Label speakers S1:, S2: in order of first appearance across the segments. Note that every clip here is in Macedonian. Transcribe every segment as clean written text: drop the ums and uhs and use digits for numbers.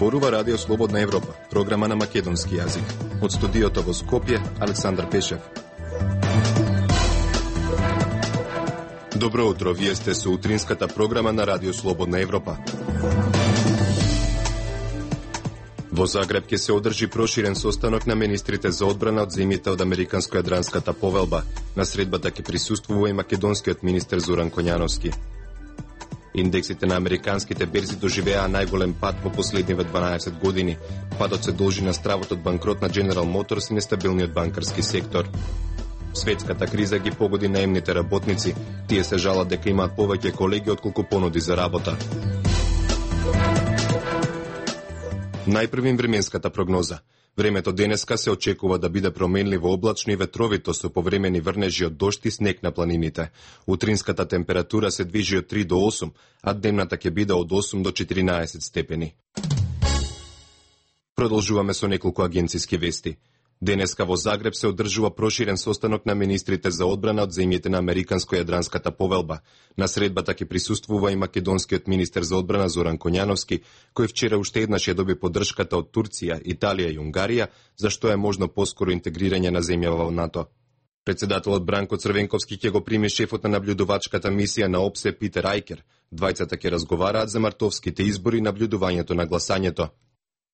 S1: Зборува Радио Слободна Европа, програма на македонски јазик. Од студиото во Скопје, Александар Пешев. Добро утро, вие сте со утринската програма на Радио Слободна Европа. Во Загреб ќе се одржи проширен состанок на министрите за одбрана од земјите од Американско-јадранската повелба. На средбата ќе присуствува и македонскиот министер Зоран Коњановски. Индексите на американските берзи доживеа најголем пад во последниве 12 години. Падот се должи на стравот од банкрот на General Motors и нестабилниот банкарски сектор. Светската криза ги погоди наемните работници. Тие се жалат дека имаат повеќе колеги отколку понуди за работа. Најпрвим временската прогноза. Времето денеска се очекува да биде променливо облачно и ветровито со повремени врнежи од дожд и снег на планините. Утринската температура се движи од 3 до 8, а дневната ќе биде од 8 до 14 степени. Продолжуваме со неколку агенциски вести. Денеска во Загреб се одржува проширен состанок на министрите за одбрана од земјите на Американско-јадранската повелба. На средбата ќе присуствува и македонскиот министер за одбрана Зоран Коњановски, кој вчера уште еднаш ја доби поддршката од Турција, Италија и Унгарија, за што е можно поскоро интегрирање на земјава во НАТО. Председателот Бранко Црвенковски ќе го прими шефот на наблюдувачката мисија на ОПСЕ Питер Ајкер. Двајцата ќе разговараат за мартовските избори и наблюдувањето на гласањето.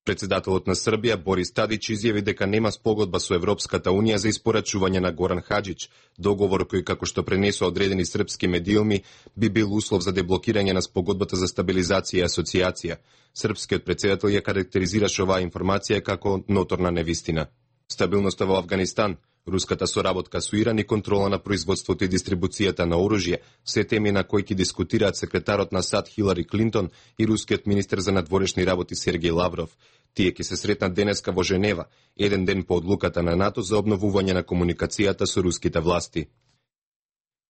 S1: Председателот на Србија Борис Тадич изјави дека нема спогодба со Европската унија за испорачување на Горан Хаџич, договор кој, како што пренесува одредени српски медиуми, би бил услов за деблокирање на спогодбата за стабилизација и асоциација. Српскиот председател ја карактеризираше оваа информација како ноторна невистина. Стабилноста во Авганистан, руската соработка со Иран и контрола на производството и дистрибуцијата на оружје, се теми на кои ќе дискутираат секретарот на САД Хилари Клинтон и рускиот министер за надворешни работи Сергеј Лавров. Тие ќе се сретнат денеска во Женева, еден ден по одлуката на НАТО за обновување на комуникацијата со руските власти.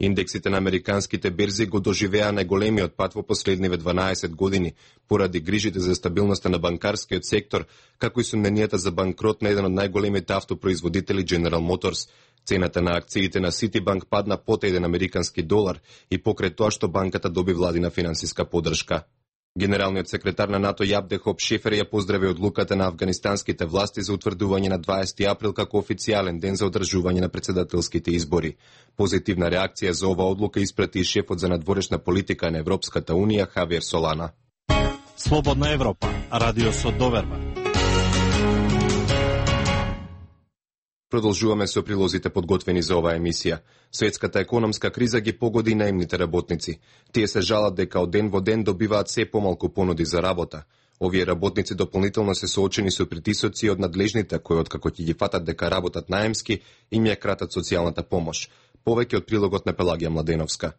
S1: Индексите на американските берзи го доживеа најголемиот пад во последниве 12 години, поради грижите за стабилноста на банкарскиот сектор, како и сомненијата за банкрот на еден од најголемите автопроизводители General Motors. Цената на акциите на Citibank падна под 1 американски долар и покрај тоа што банката доби владина финансиска поддршка. Генералниот секретар на НАТО Јабде Хоп Шефер ја поздрави одлуката на афганистанските власти за утврдување на 20 април како официјален ден за одржување на председателските избори. Позитивна реакција за ова одлука испрати и шефот за надворешна политика на Европската унија Хавиер Солана.
S2: Слободна Европа, радио со доверба.
S1: Продолжуваме со прилозите подготвени за оваа емисија. Светската економска криза ги погоди наемните работници. Тие се жалат дека од ден во ден добиваат се помалку понуди за работа. Овие работници дополнително се соочени со притисоци од надлежните кои откако ќе ги фатат дека работат наемски им ја кратат социјалната помош. Повеќе од прилогот на Пелагија Младеновска.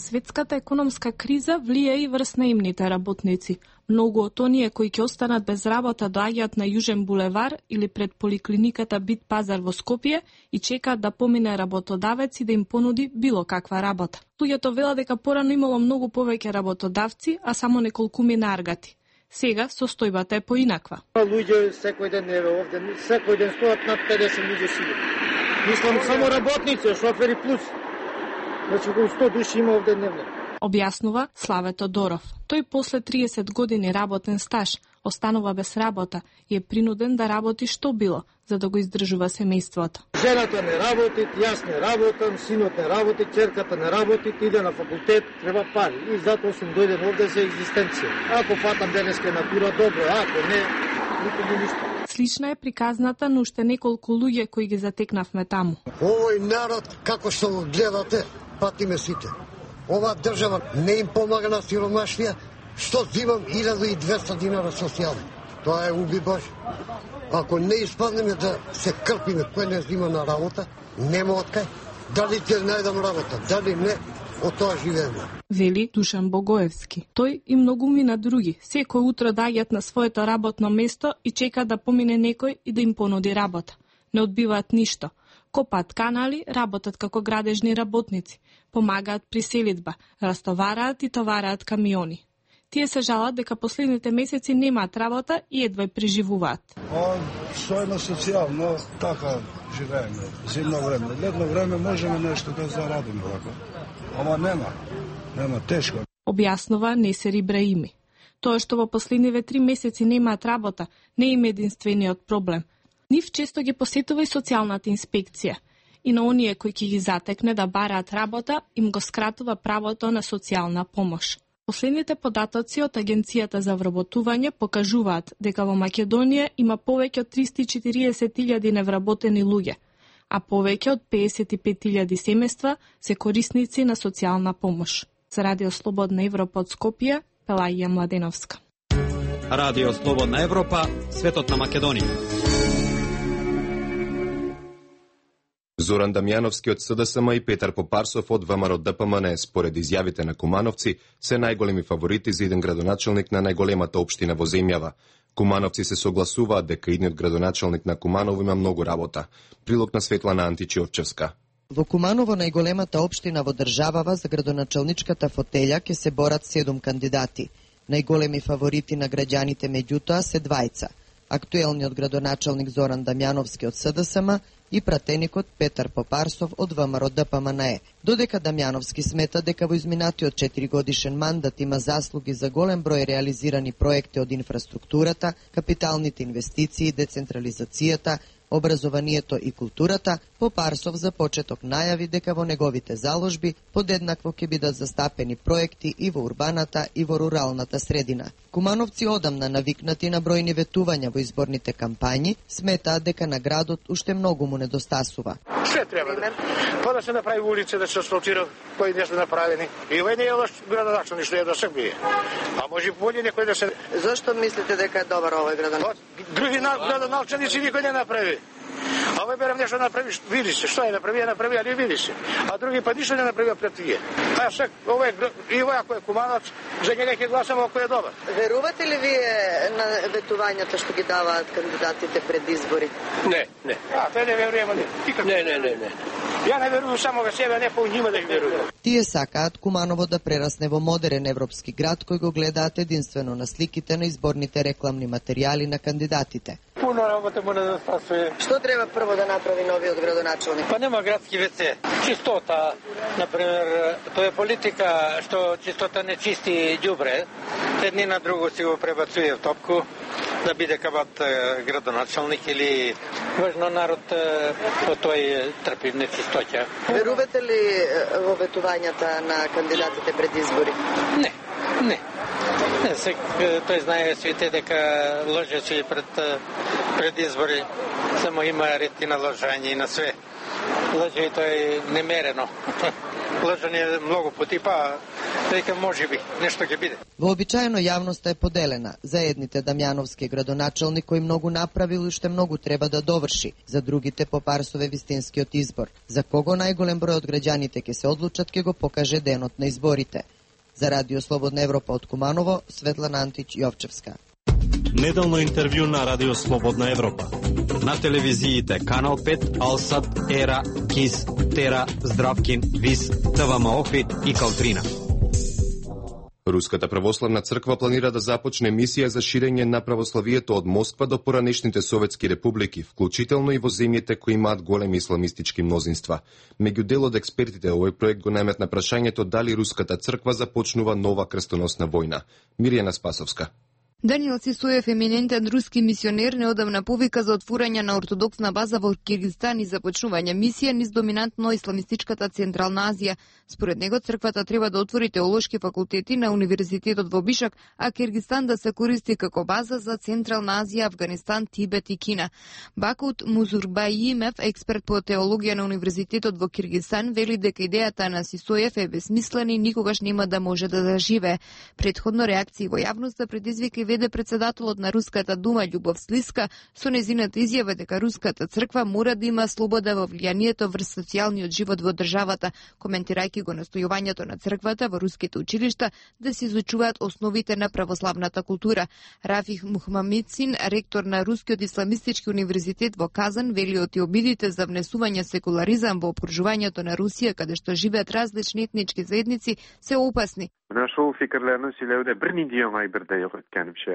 S3: Светската економска криза влие и врз наемните работници. Многу од оние кои ќе останат без работа доаѓаат на Јужен булевар или пред поликлиниката Бит пазар во Скопје и чекаат да помине работодавец и да им понуди било каква работа. Луѓето велат дека порано имало многу повеќе работодавци, а само неколкуми наргати. Сега состојбата е поинаква.
S4: Луѓе секој ден еве овде, секој ден стоат над 50 луѓе сигурно. Мислам само работници, шофери плюс. Значи околу 100 души има овде дневно.
S3: Објаснува Славе Тодоров. Тој после 30 години работен стаж останува без работа и е принуден да работи што било, за да го издржува семејството.
S4: Жената не работи, јас не работам, синот не работи, ќерката не работи, иде на факултет, треба пари. И затоа сум дојден овде за екзистенција. Ако фатам денеска натура, добро, ако не, никога ништо.
S3: Слична е приказната на уште неколку луѓе кои ги затекнавме таму.
S5: Овој народ, како што го гледате, патиме сите. Ова држава не им помага на сиромашија, што зимам 1200 динара социјално. Тоа е уби Божи. Ако не испаднеме да се крпиме кој не зима на работа, нема откај. Дали ќе најдам работа, дали не, од тоа живееме.
S3: Вели Душан Богоевски. Тој и многумина други, секој утро доаѓаат на своето работно место и чекаат да помине некој и да им понуди работа. Не одбиваат ништо. Копаат канали, работат како градежни работници, помагаат при селидба, растовараат и товараат камиони. Тие се жалат дека последните месеци немаат работа и едва преживуваат.
S6: Што е на социјално, така живееме. Зимно време, летно време можеме нешто да зарадиме, ама нема тешко.
S3: Објаснува Несер Ибраими. Тоа што во последниве 3 месеци немаат работа не е им единствениот проблем. Нив често ги посетува и социјалната инспекција. И на оние кои ќе ги затекне да бараат работа, им го скратува правото на социјална помош. Последните податоци од Агенцијата за вработување покажуваат дека во Македонија има повеќе од 340.000 невработени луѓе, а повеќе од 55.000 семејства се корисници на социјална помош. За Радио Слободна Европа од Скопје, Пелаѓа Младеновска.
S2: Радио Слободна Европа, светот на Македонија.
S1: Зоран Дамјановски од СДСМ и Петар Попарсов од ВМРО ДПМН, според изјавите на кумановци, се најголеми фаворити за иден градоначелник на најголемата општина во земјава. Кумановци се согласуваат дека идниот градоначелник на Куманово има многу работа. Прилог на Светлана Античиорчевска.
S7: Во Куманово, најголемата општина во државава, за градоначелничката фотелја ќе се борат 7 кандидати. Најголеми фаворити на граѓаните меѓутоа се двајца. Актуелниот градоначелник Зоран Дамјановски од СДСМ и пратеникот Петар Попарсов од ВМРО ДПМН. Додека Дамјановски смета дека во изминатиот 4 годишен мандат има заслуги за голем број реализирани проекти од инфраструктурата, капиталните инвестиции, децентрализацијата, образованието и културата, Попарсов за почеток најави дека во неговите заложби подеднакво ќе бидат застапени проекти и во урбаната и во руралната средина. Кумановци одамна навикнати на бројни ветувања во изборните кампањи, сметаат дека на градот уште многу му недостасува.
S8: Се треба да да се направи улица, да се асфалтира, кои не се направени. И овој не е лош градоначелник што е до сега бие. А може боле некој да се.
S7: Зошто мислите дека е добар овој градоначелник?
S8: Други градоначелници никој не направи. А овој берам нешто направиш, види се, што е направи, али види се. А други па ништо не направи пред тие. А сега овој и овој ако е кумановец, за него ќе гласаме ако е добар.
S7: Верувате ли вие на ветувањата што ги даваат кандидатите пред избори?
S8: Не. А, тој не веруваме не. Не. Ја не верувам само во себе, не по нима да ги верувам.
S7: Тие сакаат Куманово да прерасне во модерен европски град кој го гледаат единствено на сликите на изборните рекламни материјали на кандидатите.
S8: Пуно работа му недостасува.
S7: Што треба прво да направи новиот градоначелник?
S8: Па нема градски ВЦ. Чистота, например, тоа е политика што чистота не чисти ѓубре. Едни на друго си го пребацуе в топку да биде кабат градоначелник или важно народ по тој трпи нечистоќа.
S7: Верувате ли во ветувањата на кандидатите пред избори?
S8: Не. Тој знае свите дека лжеци пред избори, само има ред и на лажање и на све. Лаже и тој немерено. Лажање многу пати, па дека можеби нешто ќе биде.
S7: Вообичаено јавноста е поделена. За едните Дамјановски градоначелник кој многу направил и уште многу треба да доврши. За другите Попарсов е вистинскиот избор. За кого најголем број од граѓаните ќе се одлучат ќе го покаже денот на изборите. За Радио Слободна Европа од Куманово, Светлана Антич Јовчевска.
S2: Неделно интервју на Радио Слободна Европа.
S9: На телевизиите Канал 5, Алсат, Ера, КИС, Тера, Здравкин, ВИС, ТВМ Охрид и Калтрина.
S1: Руската православна црква планира да започне мисија за ширење на православието од Москва до поранешните советски републики, вклучително и во земјите кои имаат големи исламистички мнозинства. Меѓу дел од експертите овој проект го најмет на прашањето дали руската црква започнува нова крстоносна војна. Мирјана Спасовска.
S10: Даниел Сисоев, еминентен руски мисионер, неодамна повика за отворање на ортодоксна база во Киргизстан и започнување мисија низ доминантно исламистичката Централна Азија. Според него, црквата треба да отвори теолошки факултети на Универзитетот во Бишак, а Киргизстан да се користи како база за Централна Азија, Афганистан, Тибет и Кина. Бакут Музурбаимев, експерт по теологија на Универзитетот во Киргизстан, вели дека идејата на Сисоев е безсмислена и никогаш нема да може да заживее. Предходно реакции во јавноста предизвика веде председателот на Руската дума Љубов Слиска со незината изјава дека Руската црква мора да има слобода во влијанието врз социјалниот живот во државата, коментирајќи го настојувањето на црквата во руските училишта да се изучуваат основите на православната култура. Рафих Мухмамицин, ректор на Рускиот исламистички универзитет во Казан, вели оти обидите за внесување секуларизам во опружувањето на Русија, каде што живеат различни етнички заедници, се опасни.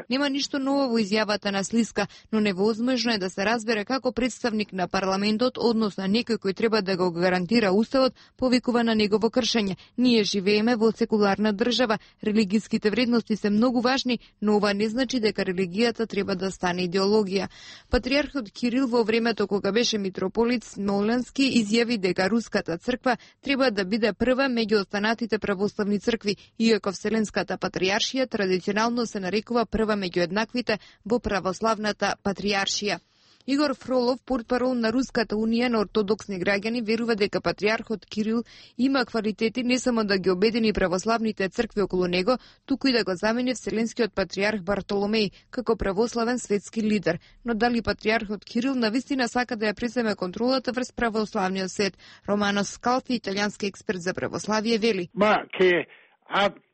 S10: Нема ништо ново во изјавата на Слиска, но невозможно е да се разбере како представник на парламентот, односно некој кој треба да го гарантира уставот, повикува на негово кршење. Ние живееме во секуларна држава, религиските вредности се многу важни, но ова не значи дека религијата треба да стане идеологија. Патриархот Кирил во времето кога беше митрополит Смоленски изјави дека Руската црква треба да биде прва меѓу останатите православни цркви, иако Вселенската патријаршија традиционално се нарекува прва меѓу еднаквите во православната патријаршија. Игор Фролов, портпарол на Руската унија на ортодоксни граѓани, верува дека патриархот Кирил има квалитети не само да ги обедини православните цркви околу него, туку и да го замени Вселенскиот патриарх Бартоломеј како православен светски лидер. Но дали патриархот Кирил навистина сака да ја преземе контролата врз православниот свет? Романо Скалфи, италијански експерт за православие, вели: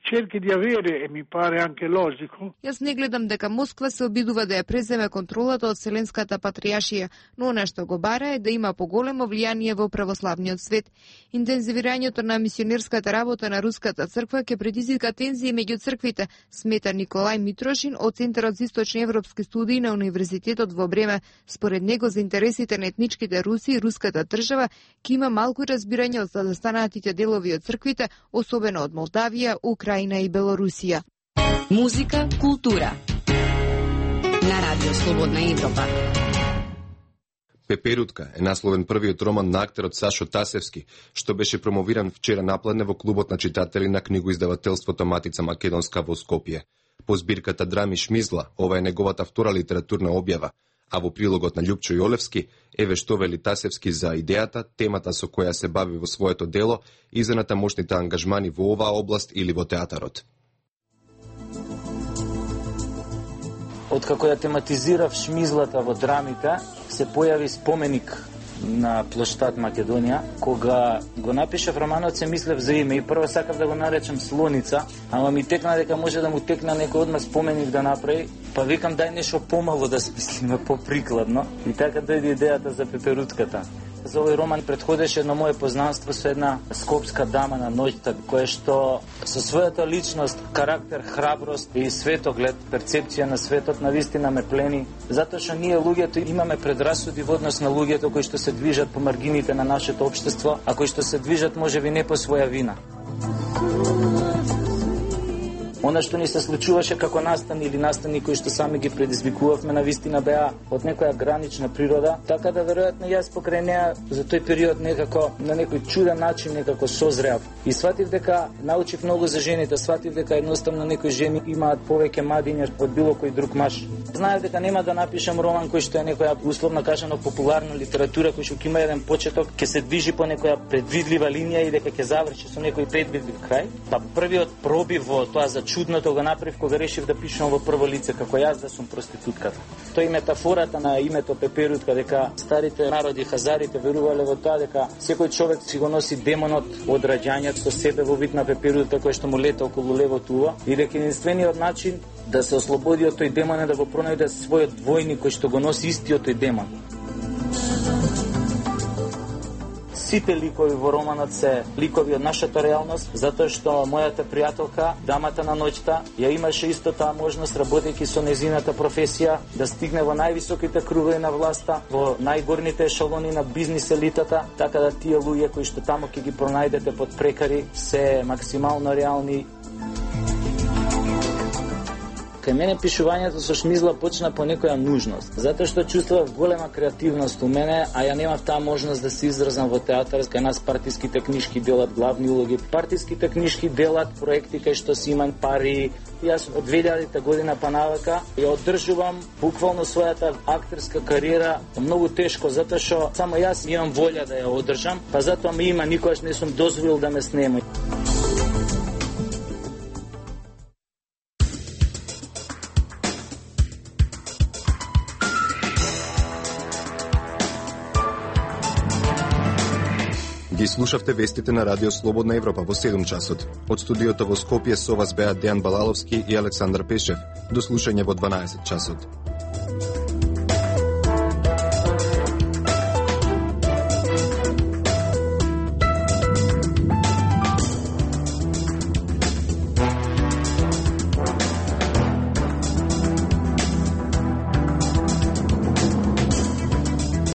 S11: cerchi di avere, e mi pare anche logico.
S10: Јас не гледам дека Москва се обидува да ја преземе контролата од Вселенската патријаршија, но она што го бара е да има поголемо влијание во православниот свет. Интензивирањето на мисионерската работа на Руската црква ќе предизвика тензии меѓу црквите, смета Николај Митрошин од Центарот за источни европски студии на Универзитетот во Бреме. Според него, за интересите на етничките Руси и руската држава ќе има малку разбирање од заостанатите делови од црквите, особено од Молдавија, Украина и Белорусија.
S12: Музика, култура. На Радио Слободна Европа.
S1: Пеперутка е насловен првиот роман на актерот Сашо Тасевски, што беше промовиран вчера напладне во клубот на читатели на книгоиздавателството Матица Македонска во Скопје. По збирката драми Шмизла, ова е неговата втора литературна објава, а во прилогот на Љупчо Јолевски еве што вели Тасевски за идејата, темата со која се бави во своето дело и за натамошните ангажмани во оваа област или во театарот.
S13: Откако ја тематизирав Шмизлата во драмите, се појави споменик на плоштад Македонија. Кога го напишав романот, се мислев за име и прво сакав да го наречам Слоница, ама ми текна дека може да му текна некој одма споменик да направи, па викам дај нешто помало да смислиме поприкладно и така дојде идејата за Пеперутката. За овој роман предходеше едно мое познанство со една скопска дама на ноќта, која што со својата личност, карактер, храброст и светоглед, перцепција на светот навистина ме плени, затоа што ние луѓето имаме предрасуди во однос на луѓето кои што се движат по маргините на нашето општество, а кои што се движат можеби не по своја вина. Она што ни се случуваше како настани или настани кои што сами ги предизвикувавме, навистина беа од некоја гранична природа, така да веројатно јас покрај неа за тој период некако на некој чуден начин некако созреав. И сватив дека научив многу за жените, сватив дека едноставно некои жени имаат повеќе мадиња од било кој друг маж. Знаев дека нема да напишам роман кој што е некоја условно кажано популарна литература кој што ќе има еден почеток, ќе се движи по некоја предвидлива линија и дека ќе заврши со некој предвидлив крај. Па првиот пробив во тоа за чудното го направив кога решив да пишам во прво лице како јас да сум проститутката. Тоа е метафората на името Пеперутка, дека старите народи хазарите верувале во тоа дека секој човек си го носи демонот од раѓањето со себе во вид на пеперутка кој што му лета околу левото уво и дека единствениот начин да се ослободи од тој демон е да го пронајде својот двојник кој што го носи истиот тој демон. Сите ликови во романот се ликови од нашата реалност, затоа што мојата пријателка, дамата на ноќта, ја имаше исто таа можност, работејќи со незината професија, да стигне во највисоките кругови на власта, во најгорните ешелони на бизнис елитата, така да тие луѓе кои што таму ќе ги пронајдете под прекари се максимално реални. Кај мене пишувањето со Шмизла почна по некоја нужност, затоа што чувствував голема креативност у мене, а ја немав таа можност да се изразам во театар. Кај нас партиските книжки делат главни улоги, партиските книжки делат проекти кај што си имаат пари. Јас од 2000 година па навака ја одржувам буквално својата актерска кариера многу тешко, затоа што само јас имам волја да ја одржам, па затоа ми има, никогаш не сум дозволил да ме снема.
S1: Ги слушавте вестите на Радио Слободна Европа во 7 часот. Од студиото во Скопје со вас беа Дејан Балаловски и Александар Пешев. До слушање во 12 часот.